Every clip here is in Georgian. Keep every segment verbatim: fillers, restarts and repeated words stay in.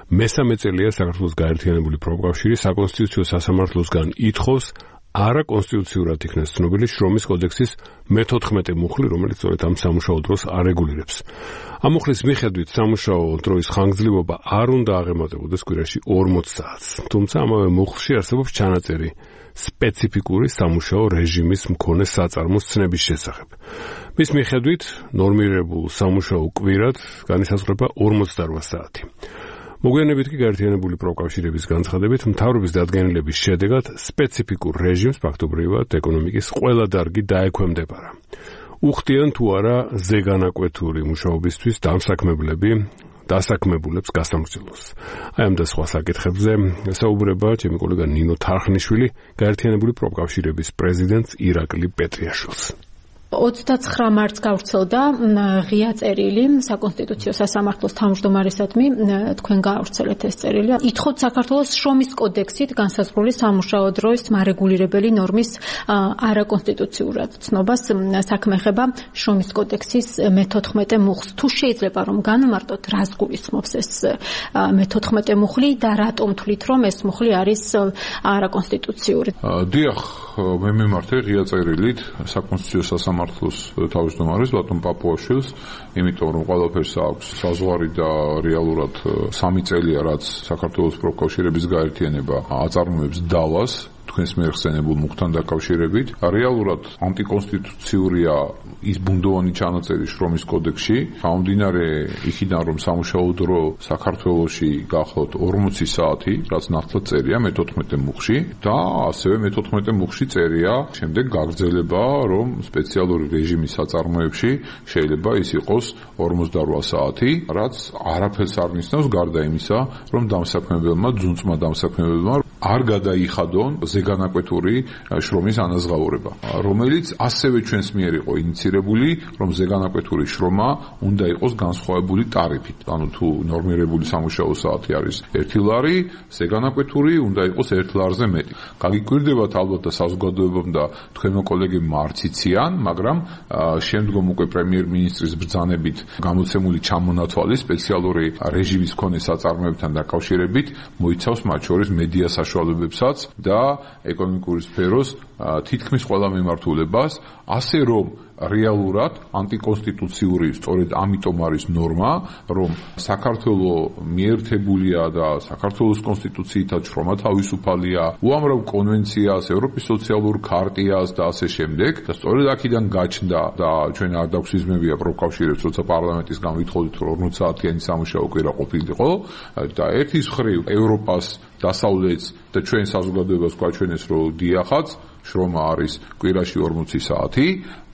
მესამე წელია საქართველოს გაერთიანებული პროფკავშირი საკონსტიტუციო სასამართლოსგან ითხოვს არაკონსტიტუციურად იქნას ცნობილი შრომის კოდექსის მეთოთხმეტე მუხლი, რომელიც სწორედ ამ სამუშაო დროს არეგულირებს. ამ მუხლის მიხედვით სამუშაო დროის ხანგრძლივობა არ უნდა აღემატებოდეს კვირაში ორმოც საათს. თუმცა ამავე მუხლში არსებობს ჩანაწერი სპეციფიკური სამუშაო რეჟიმის მქონე საწარმოს ცნების შესახებ. მის მიხედვით ნორმირებულ სამუშაო კვირად განისაზღვრება ორმოცდაოთხ საათი. მოგვიანებით კი გაერთიანებული პროფკავშირების განცხადებით მთავრობის დადგენილების შედეგად სპეციფიკურ რეჟიმს ფაქტობრივად ეკონომიკის ყველა დარგი დაექვემდებარა. უხდიან თუ არა ზეგანაკვეთური მუშაობისთვის დამსაქმებლები დასაქმებულებს გასამრჯელოს. აი ამ და სხვა საკითხებზე საუბრება ჩემი კოლეგა ნინო თარხნიშვილი, გაერთიანებული პროფკავშირების პრეზიდენტს ირაკლი პეტრიაშვილს. ოცდაცხრა მარტს გავრცელდა ღია წერილი საკონსტიტუციო სასამართლოს თავმჯდომარისადმი, თქვენ გაავრცელეთ ეს წერილი. ითხოვთ საქართველოს შრომის კოდექსით განსაზღვრული სამუშაო დროის მარეგულირებელი ნორმის არაკონსტიტუციურად ცნობას საქმე ეხება შრომის კოდექსის მეთოთხმეტე მუხლს. თუ შეიძლება რომ განმარტოთ, რას გულისხმობს ეს მეთოთხმეტე მუხლი და რატომ თვლით რომ ეს მუხლი არის არაკონსტიტუციური? დიახ, მე მიმართე ღია წერილით საკონსტიტუციო სასამართლოს მართლოს თავმჯდომარის ბატონ პაპუაშვილს, იმიტომ რომ ყველაფერს აქვს საზღვარი და რეალურად სამი წელია რაც საქართველოს პროფკავშირების გაერთიანება აწარმოებს დავას თქვენს მიერ ხსენებულ მუხთან დაკავშირებით. რეალურად ანტიკონსტიტუციურია ის ბუნდოვანი ჩანაწერი შრომის კოდექსში, გამომდინარე იქიდან რომ სამუშაო დრო საქართველოში გახლავთ ორმოცი საათი, რაც ნათლად წერია მეთოთხმეტე მუხლში და ასევე მეთოთხმეტე მუხლში წერია შემდეგ გაგრძელება, რომ სპეციალური რეჟიმის საწარმოებში შეიძლება ის იყოს ორმოცდაოთხ საათი, რაც არაფერს არ ნიშნავს გარდა იმისა, რომ დამსაქმებელმა, ძუნწმა დამსაქმებელმა არ გადაიხადონ ზეგანაკვეთური შრომის ანაზღაურება, რომელიც ასევე ჩვენს მიერ იყო ინიცირებული, რომ ზეგანაკვეთური შრომა უნდა იყოს განსხვავებული ტარიფით. ანუ თუ ნორმირებული სამუშაო საათი არის ერთი ლარი, ზეგანაკვეთური უნდა იყოს ერთ ლარზე მეტი. გაგიკვირდებათ ალბათ და საზოგადოებამ და თქვენო კოლეგებმა არც იციან, მაგრამ შემდგომ უკვე პრემიერ-მინისტრის ბრძანებით გამოცემული ჩამონათვალი სპეციალური რეჟიმის მქონე საწარმოებთან დაკავშირებით მოიცავს მათ შორის მედია საშუალებებსაც და ეკონომიკური სფეროს თითქმის ყველა მიმართულებას, ასე რომ რეალურად ანტიკონსტიტუციური სწორედ ამიტომ არის ნორმა, რომ საქართველოს მიერთებულია და საქართველოს კონსტიტუციითაც შრომა თავისუფალია, უამრავ კონვენციას, ევროპის სოციალურ ქარტიას და ასე შემდეგ. და სწორედ აქედან გაჩნდა და ჩვენ არ დაგვსიზმებია პროფკავშირებს, როცა პარლამენტის გამვითხოვდით რომ ორმოც საათიანი სამუშაო კვირა ყოფილიყო და ერთის მხრივ ევროპას დასავლეთს და ჩვენ საზოგადოებას გვაჩვენეს რომ დიახაც შრომა არის კვირაში ორმოცი საათი,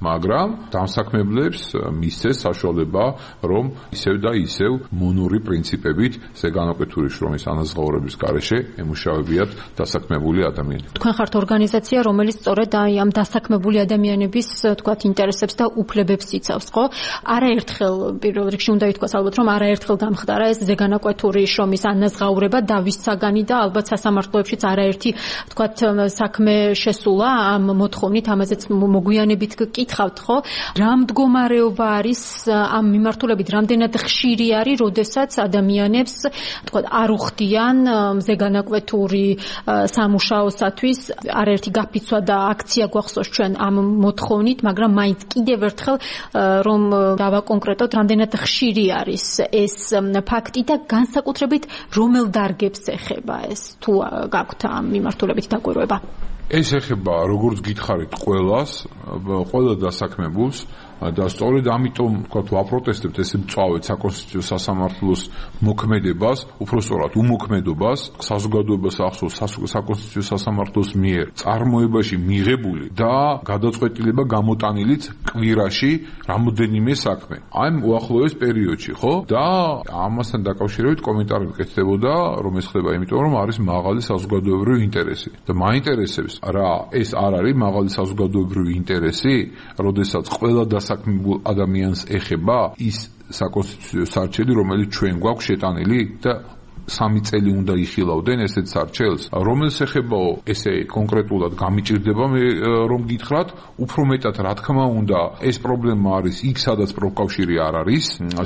მაგრამ დამსაქმებლებს მისცეს საშუალება, რომ ისევ და ისევ მონური პრინციპებით ზეგანაკვეთური შრომის ანაზღაურების გარეშე ემუშავებიათ დასაქმებული ადამიანები. თქვენ ხართ ორგანიზაცია, რომელიც სწორედ აი ამ დასაქმებული ადამიანების, თქვათ, ინტერესებს და უფლებებს იცავს, ხო? არაერთხელ პირველ რიგში უნდა ითქვას ალბათ, რომ არაერთხელ გამხდარა ეს ზეგანაკვეთური შრომის ანაზღაურება და ვის საგანი და ალბათ სასამართლოებშიც არაერთი, თქვათ, საქმე შესულა ამ მოთხოვნით, ამაზეც მოგვიანებით გკითხავთ, ხო? რა მდგომარეობა არის ამ მიმართულებით, რამდენად ხშირი არის, როდესაც ადამიანებს, თქვათ, არ უხდიან ზეგანაკვეთური სამუშაოსათვის, არაერთი გაფიცვა და აქცია გვახსოვს ჩვენ ამ მოთხოვნით, მაგრამ მაინც კიდევ ერთხელ რომ დავაკონკრეტოთ, რამდენად ხშირი არის ეს ფაქტი და განსაკუთრებით რომელ დარგებს ეხება ეს, თუ გაქვთ ამ მიმართულებით დაკვირვება? ეს ეხება, როგორც გითხარით, ყველას, ყველა დასაქმებულს და სწორედ ამიტომ, ვთქვათ, ვაპროტესტებთ ესე მწვავედ საკონსტიტუციო სასამართლოს მოქმედებას, უпростоრად უმოქმედობას, საზოგადოებას ახსოვს საკონსტიტუციო სასამართლოს მიერ წარმოებაში მიღებული და გადაწყვეტილება გამოტანილიც კვირაში რამოდენიმე საქმე. აი უახლოეს პერიოდში, ხო? და ამასთან დაკავშირებით კომენტარი მკეთდებოდა, რომ ეს ხდება იმიტომ, რომ არის მაღალი საზოგადოებრივი ინტერესი. და მაინტერესებს რა ეს არ არის მაღალი საზოგადოებრივი ინტერესი, როდესაც ყველა დასაქმებულ ადამიანს ეხება ის საკონსტიტუციო სარჩელი, რომელიც ჩვენ გვაქვს შეტანილი და სამი წელი უნდა იხილავდნენ ესეთ სარჩელს, რომელს ეხებაო ესე კონკრეტულად გამიჭირდება მე რომ გითხრათ, უფრო მეტად რა თქმა უნდა ეს პრობლემა არის იქ სადაც პროფკავშირი არ არის,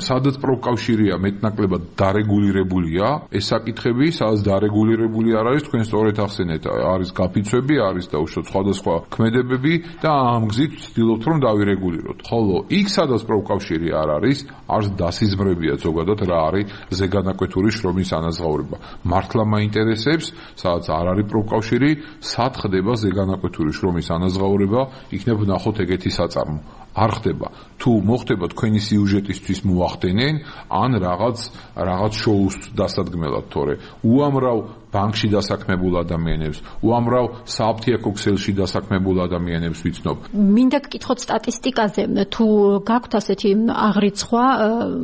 სადაც პროფკავშირია მეტნაკლებად დარეგულირებულია, ეს საკითხები სადაც დარეგულირებული არ არის, თქვენ სწორედ ახსენეთ, არის გაფიცვები, არის და უშუალოდ სხვადასხვა ქმედებები და ამ გზით ვცდილობთ რომ დავირეგულიროთ. ხოლო იქ სადაც პროფკავშირი არ არის, არც დასიზმრებია ზოგადად რა არის ზეგანაკვეთური შრომის ანაზღაურება. მართლა მაინტერესებს, სადაც არ არის პროფკავშირი, სად ხდება ზეგანაკვეთური შრომის ანაზღაურება, იქნებ ვნახოთ ეგეთი საწარმო. არ ხდება. თუ მოხდება თქვენი სიუჟეტისთვის მოახდენენ, ან რაღაც რაღაც შოუს დასადგმელად, თორე უამრავ ბანკში დასაქმებულ ადამიანებს, უამრავ საფთიაქო ქსელში დასაქმებულ ადამიანებს ვიცნობ. მინდა გკითხოთ სტატისტიკაზე, თუ გაქვთ ასეთი აღრიცხვა,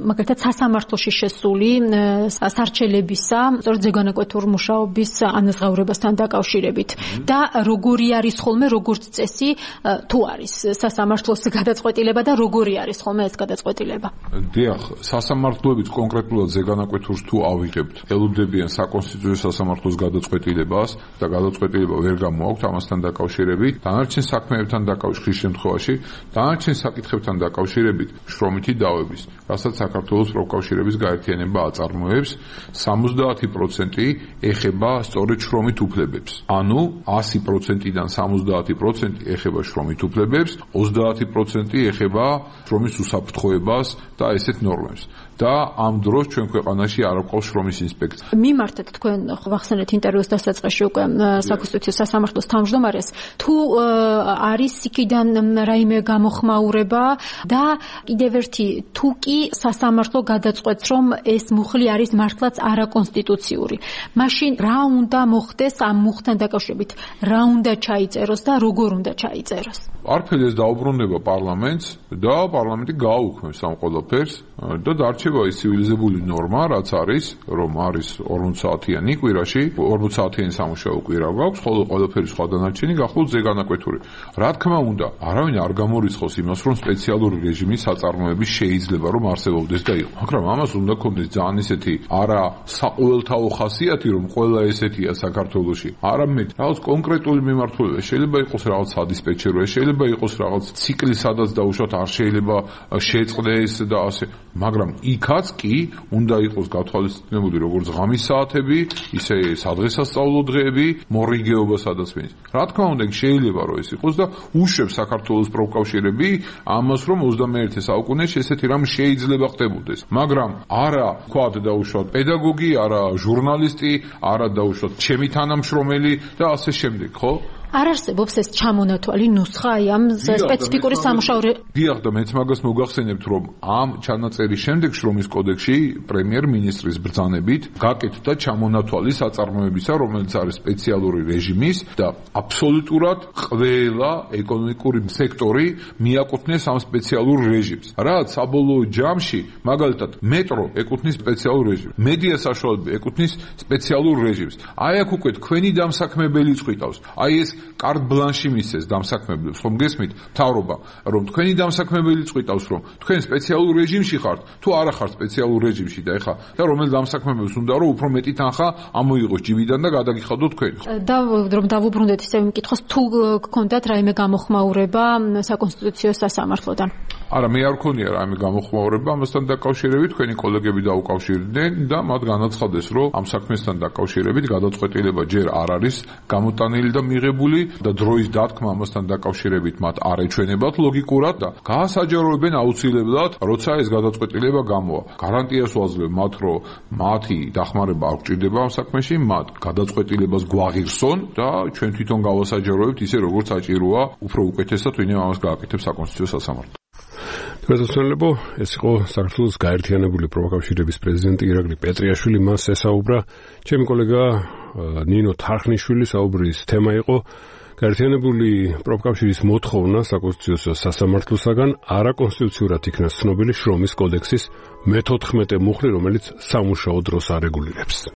მაგალითად სასამართლოში შესული სარჩელებისა, სწორედ ზეგანაკვეთურ მუშაობის ანაზღაურებასთან დაკავშირებით და როგორი არის ხოლმე როგორც წესი, თუ არის სასამართლოს გადაწყვეტილება და როგორი არის ხოლმე ეს გადაწყვეტილება? დიახ, სასამართლოებით კონკრეტულად ზეგანაკვეთურს თუ ავიღებთ, ელოდებიან საკონსტიტუციო სასამართლოს გადაწყვეტილებას და გადაწყვეტილება ვერ გამოაქვთ ამასთან დაკავშირებით, დანარჩენ საქმეებთან დაკავშირების შემთხვევაში, დანარჩენ საკითხებთან დაკავშირებით შრომითი დავების, რასაც საქართველოს პროფკავშირების გაერთიანება აწარმოებს, სამოცდაათი პროცენტი ეხება სწორედ შრომით უფლებებს. ანუ ასი პროცენტიდან სამოცდაათი პროცენტი ეხება შრომით უფლებებს, ოცდაათი პროცენტი ეხება შრომის უსაფრთხოებას და ესეთ ნორმებს. და ამ დროს ჩვენ ქვეყანაში არ აქვს შრომის ინსპექცია. მიმართეთ თქვენ ვახსენეთ ინტერვიუს დასაწყისში უკვე საკონსტიტუციო სასამართლოს თავმჯდომარეს, თუ არის იქიდან რაიმე გამოხმაურება და კიდევ ერთი, თუ კი სასამართლო გადაწყვეტს, რომ ეს მუხლი არის მართლაც არაკონსტიტუციური, მაშინ რა უნდა მოხდეს ამ მუხლთან დაკავშირებით, რა უნდა ჩაიწეროს და როგორ უნდა ჩაიწეროს? არაფერი ეს დაუბრუნდება პარლამენტს და პარლამენტი გააუქმებს ამ ყველაფერს და დარჩება ის ცივილიზებული ნორმა, რაც არის, რომ არის ორმოცი საათიანი კვირაში, ორმოცი საათიანი სამუშაო კვირა გვაქვს, ხოლო ყველაფერი სხვა დანარჩენი გახულს ზეგანაკვეთური. რა თქმა უნდა, არავინ არ გამორიცხავს იმას, რომ სპეციალური რეჟიმის საწარმოები შეიძლება რომ არსებობდეს და იყო. მაგრამ ამას უნდა ქონდეს ძალიან ისეთი არა საყოველთაო ხასიათი, რომ ყველა ესეთია საქართველოში. არამედ რაღაც კონკრეტული მიმართულება, შეიძლება იყოს რაღაც სადისპეჩეროა, შეიძლება იყოს რაღაც ციკლი, სადაც დაუშვათ არ შეიძლება შეწყდეს და ასე. მაგრამ იქაც კი უნდა იყოს გათვალისწინებული როგორც ღამის საათები, ისე სადღესასწაულო დღეები, მორიგეობა სადაც მეც. რა თქმა უნდა, შეიძლება რომ ეს იყოს და უშვებს საქართველოს პროფკავშირები ამას, რომ ოცდამეერთე საუკუნეში ესეთი რამ შეიძლება ხდებოდეს. მაგრამ არა თქვათ დაუშვათ პედაგოგი, არა ჟურნალისტი, არა დაუშვათ ჩემი თანამშრომელი და ასე შემდეგ, ხო? არ არსებობს ეს ჩამონათვალი ნუსხა აი ამ სპეციფიკური სამუშაო. დიახ, და მეც მაგას მოგახსენებთ, რომ ამ ჩანაწერის შემდეგ შრომის კოდექსში პრემიერ-მინისტრის ბრძანებით გაკეთდა ჩამონათვალი საწარმოებისა, რომელიც არის სპეციალური რეჟიმის და აბსოლუტურად ყველა ეკონომიკური სექტორი მიაკუთვნეს ამ სპეციალურ რეჟიმს. რაც საბოლოო ჯამში, მაგალითად, მეტრო ეკუთვნის სპეციალურ რეჟიმს, მედია საშუალებები ეკუთვნის სპეციალურ რეჟიმს. აი აქ უკვე თქვენი დამსაქმებელი წვითავს. აი ეს კარტ ბლანში მისცეს დამსაქმებლებს, ხომ გესმით, მთავრობა, რომ თქვენი დამსაქმებელი წვითავს, რომ თქვენ სპეციალურ რეჟიმში ხართ, თუ არა ხართ სპეციალურ რეჟიმში და ეხა და რომელ დამსაქმებელს უნდა რომ უფრო მეტი თანხა ამოიღოს ჯიბიდან და გადაგიხადოთ თქვენ. და რომ დავუბრუნდეთ ისევ მკითხოს, თუ გქონდათ რაიმე გამოხმაურება საკონსტიტუციო სასამართლოდან? არა, მე არ მქონია რაიმე გამოხმაურება ამასთან დაკავშირებით, თქვენი კოლეგები დაუკავშირდნენ და მათ განაცხადეს, რომ ამ საქმესთან დაკავშირებით გადაწყვეტილება ჯერ არ არის გამოტანილი და მიღებული და დროის დათქმა ამასთან დაკავშირებით მათ არ ეჩვენებათ ლოგიკურად და გაასაჯაროებენ აუცილებლად, როცა ეს გადაწყვეტილება გამოვა. გარანტიას ვაძლევ მათ, რომ მათი დახმარება არ გჭირდება ამ საქმეში, მათ გადაწყვეტილებას გვაღირსონ და ჩვენ თვითონ გავასაჯაროებთ ისე როგორც საჭიროა, უფრო უკეთესად ვინმე ამას გააკეთებს საკონსტიტუციო სასამართლო. გასასწორებო, ეს იყო საქართველოს გაერთიანებული პროფკავშირების პრეზიდენტი ირაკლი პეტრიაშვილი, მას ესაუბრა ჩემი კოლეგა ნინო თარხნიშვილი. საუბრის თემა იყო გაერთიანებული პროფკავშირის მოთხოვნა საკონსტიტუციო სასამართლოსაგან არაკონსტიტუციურად იქნა ცნობილი შრომის კოდექსის მეთოთხმეტე მუხლი, რომელიც სამუშაო დროს არეგულირებს.